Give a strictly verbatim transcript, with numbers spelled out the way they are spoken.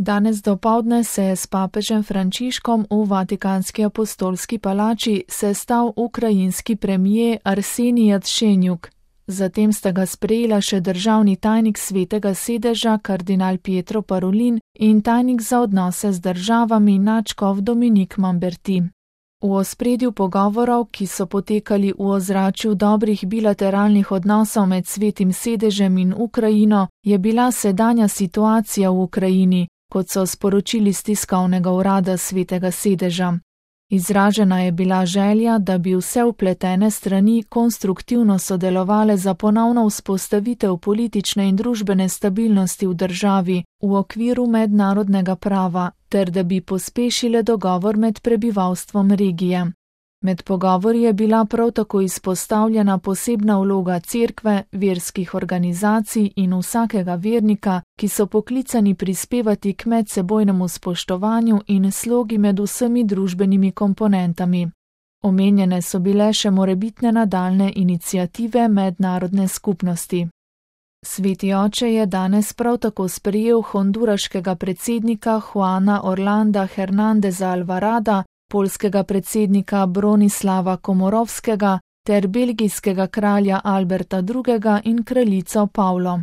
Danes dopoldne se je s papežem Frančiškom v Vatikanski apostolski palači sestal ukrajinski premier Arsenij Jatšenjuk. Zatem sta ga sprejela še državni tajnik Svetega sedeža kardinal Pietro Parolin in tajnik za odnose z državami nadškof Dominik Mamberti. V ospredju pogovorov, ki so potekali v ozračju dobrih bilateralnih odnosov med Svetim sedežem in Ukrajino, je bila sedanja situacija v Ukrajini, kot so sporočili iz tiskovnega urada Svetega sedeža. Izražena je bila želja, da bi vse vpletene strani konstruktivno sodelovale za ponovno vzpostavitev politične in družbene stabilnosti v državi v okviru mednarodnega prava, ter da bi pospešile dogovor med prebivalstvom regije. Med pogovori je bila prav tako izpostavljena posebna vloga cerkve, verskih organizacij in vsakega vernika, ki so poklicani prispevati k medsebojnemu spoštovanju in slogi med vsemi družbenimi komponentami. Omenjene so bile še morebitne nadaljne iniciative mednarodne skupnosti. Sveti oče je danes prav tako sprejel honduraškega predsednika Juana Orlanda Hernandeza Alvarada, poljskega predsednika Bronislava Komorovskega ter belgijskega kralja Alberta drugega in kraljico Pavlo.